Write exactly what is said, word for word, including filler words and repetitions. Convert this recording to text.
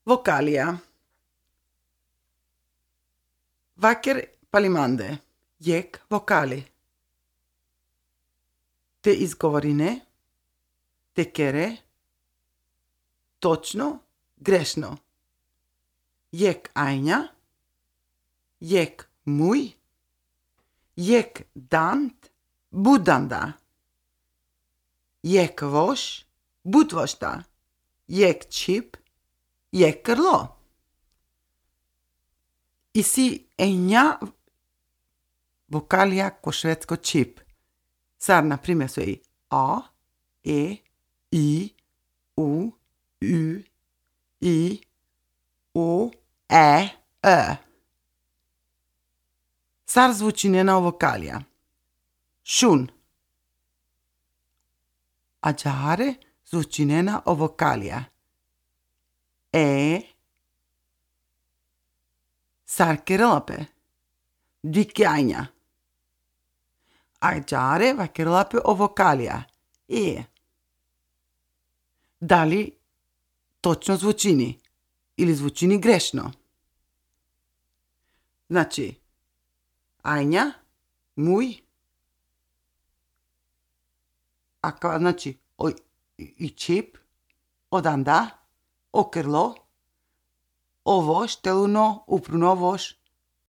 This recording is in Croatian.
Vokalija. Vaker palimande. Jek vokali. Te izgovorine. Tekere. Točno, grešno. Jek ajnja. Jek muj. Jek dant. Budanda. Jek voš. Budvošta. Jek čip. Jek krlo. I si enja vokalija ko švedsko čip. Sar, na primjer, su i A, E, I, U, U, I, O, E, Ö. Sar zvuči njena vokalija. Šun. Ađare zvuči njena vokalija. E. Sar kirilape. Dikjajnja. Ađare va kirilape o vokalija. E. Da li točno zvučini ili zvučini grešno? Znači, ajnja, muj, a kao znači o, i čip, odanda, o krlo, o voš, teluno, upruno voš,